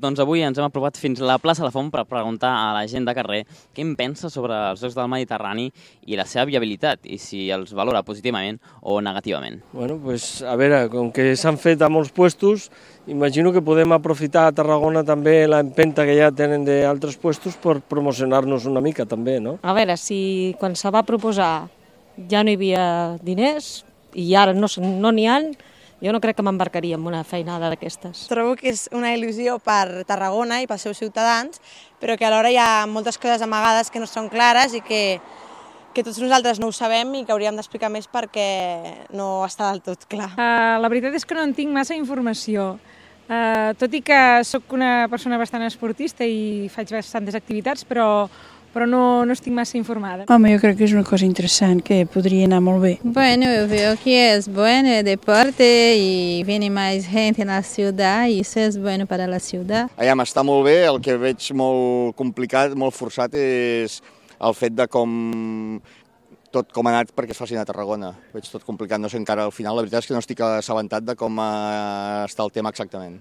Doncs avui ens hem aprovat fins a la plaça La Font per preguntar a la gent de carrer què en pensa sobre els Jocs del Mediterrani i la seva viabilitat, i si els valora positivament o negativament. Bueno, pues a veure, com que s'han fet a molts puestos, imagino que podem aprofitar a Tarragona també l'empenta que ja tenen d'altres puestos per promocionar-nos una mica també, no? A veure, si quan se va proposar ja no hi havia diners i ara no n'hi ha, jo no crec que m'embarcaria en una feinada d'aquestes. Trobo que és una il·lusió per Tarragona i pels seus ciutadans, però que alhora hi ha moltes coses amagades que no són clares i que tots nosaltres no ho sabem i que hauríem d'explicar més perquè no està del tot clar. La veritat és que no en tinc massa informació. Tot i que sóc una persona bastant esportista i faig bastantes activitats, però no estic massa informada. Home, jo crec que és una cosa interessant, que podria anar molt bé. Bueno, eu vejo que es bueno el deporte y viene más gente en la ciudad y eso es bueno para la ciudad. Està molt bé, el que veig molt complicat, molt forçat, és el fet de tot com ha anat perquè es facin a Tarragona. Veig tot complicat, no sé encara al final, la veritat és que no estic assabentat de com està el tema exactament.